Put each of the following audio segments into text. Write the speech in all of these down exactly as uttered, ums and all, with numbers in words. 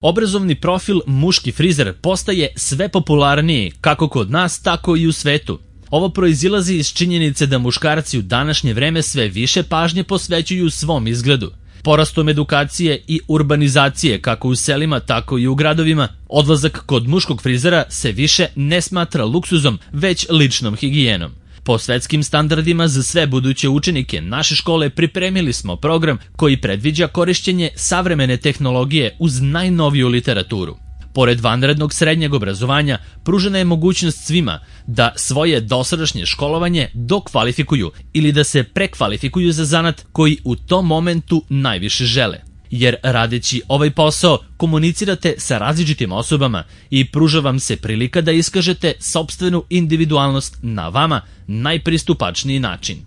Obrazovni profil muški frizer postaje sve popularniji kako kod nas, tako i u svetu. Ovo proizilazi iz činjenice da muškarci u današnje vreme sve više pažnje posvećuju svom izgledu. Porastom edukacije i urbanizacije kako u selima, tako i u gradovima, odlazak kod muškog frizera se više ne smatra luksuzom, već ličnom higijenom. Po svetskim standardima za sve buduće učenike naše škole pripremili smo program koji predviđa korišćenje savremene tehnologije uz najnoviju literaturu. Pored vanrednog srednjeg obrazovanja, pružena je mogućnost svima da svoje dosadašnje školovanje dokvalifikuju ili da se prekvalifikuju za zanat koji u tom momentu najviše žele. Jer radeći ovaj posao komunicirate sa različitim osobama i pruža vam se prilika da iskažete sopstvenu individualnost na vama najpristupačniji način.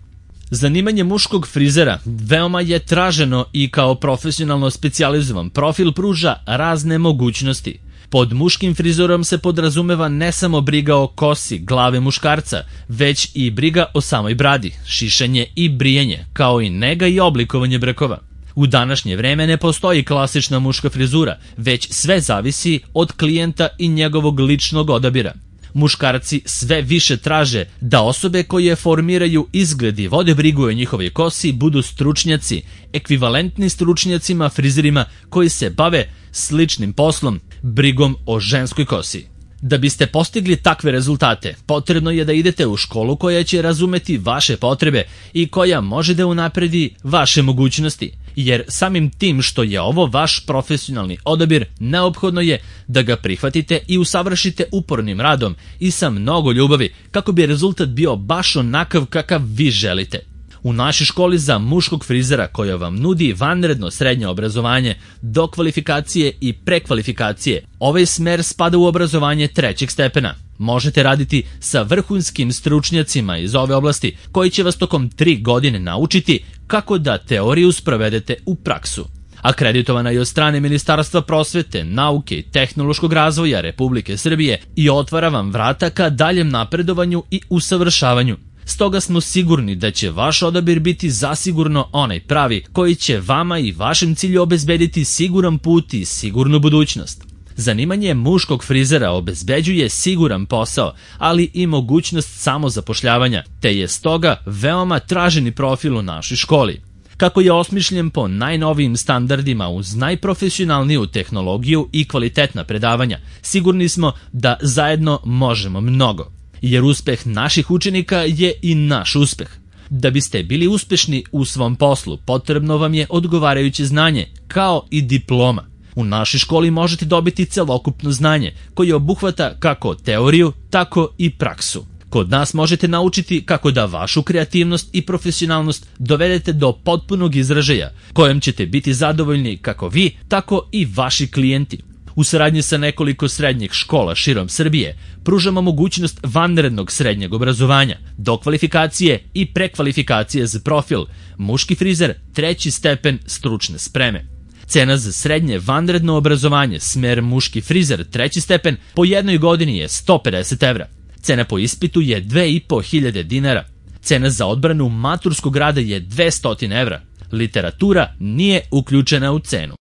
Zanimanje muškog frizera veoma je traženo i kao profesionalno specijalizovan profil pruža razne mogućnosti. Pod muškim frizorom se podrazumeva ne samo briga o kosi glave muškarca, već i briga o samoj bradi, šišanje i brijanje, kao i nega i oblikovanje brkova. U današnje vreme ne postoji klasična muška frizura, već sve zavisi od klijenta i njegovog ličnog odabira. Muškarci sve više traže da osobe koje formiraju izgled i vode brigu o njihovoj kosi budu stručnjaci, ekvivalentni stručnjacima frizerima koji se bave sličnim poslom, brigom o ženskoj kosi. Da biste postigli takve rezultate, potrebno je da idete u školu koja će razumeti vaše potrebe i koja može da unapredi vaše mogućnosti, jer samim tim što je ovo vaš profesionalni odabir, neophodno je da ga prihvatite i usavršite upornim radom i sa mnogo ljubavi kako bi rezultat bio baš onakav kakav vi želite. U našoj školi za muškog frizera koja vam nudi vanredno srednje obrazovanje, dokvalifikacije i prekvalifikacije, ovaj smer spada u obrazovanje trećeg stepena. Možete raditi sa vrhunskim stručnjacima iz ove oblasti koji će vas tokom tri godine naučiti kako da teoriju sprovedete u praksu. Akreditovana je od strane Ministarstva prosvete, nauke i tehnološkog razvoja Republike Srbije i otvara vam vrata ka daljem napredovanju i usavršavanju. Stoga smo sigurni da će vaš odabir biti zasigurno onaj pravi koji će vama i vašem cilju obezbediti siguran put i sigurnu budućnost. Zanimanje muškog frizera obezbeđuje siguran posao, ali i mogućnost samozapošljavanja, te je stoga veoma traženi profil u našoj školi. Kako je osmišljen po najnovijim standardima uz najprofesionalniju tehnologiju i kvalitetna predavanja, sigurni smo da zajedno možemo mnogo. Jer uspeh naših učenika je i naš uspeh. Da biste bili uspešni u svom poslu, potrebno vam je odgovarajuće znanje, kao i diploma. U našoj školi možete dobiti celokupno znanje, koje obuhvata kako teoriju, tako i praksu. Kod nas možete naučiti kako da vašu kreativnost i profesionalnost dovedete do potpunog izražaja, kojem ćete biti zadovoljni kako vi, tako i vaši klijenti. U saradnji sa nekoliko srednjih škola širom Srbije pružamo mogućnost vanrednog srednjeg obrazovanja, dokvalifikacije i prekvalifikacije za profil muški frizer treći stepen stručne spreme. Cena za srednje vanredno obrazovanje smer muški frizer treći stepen po jednoj godini je sto pedeset evra. Cena po ispitu je dve i po hiljade dinara. Cena za odbranu maturskog rada je dvesta evra. Literatura nije uključena u cenu.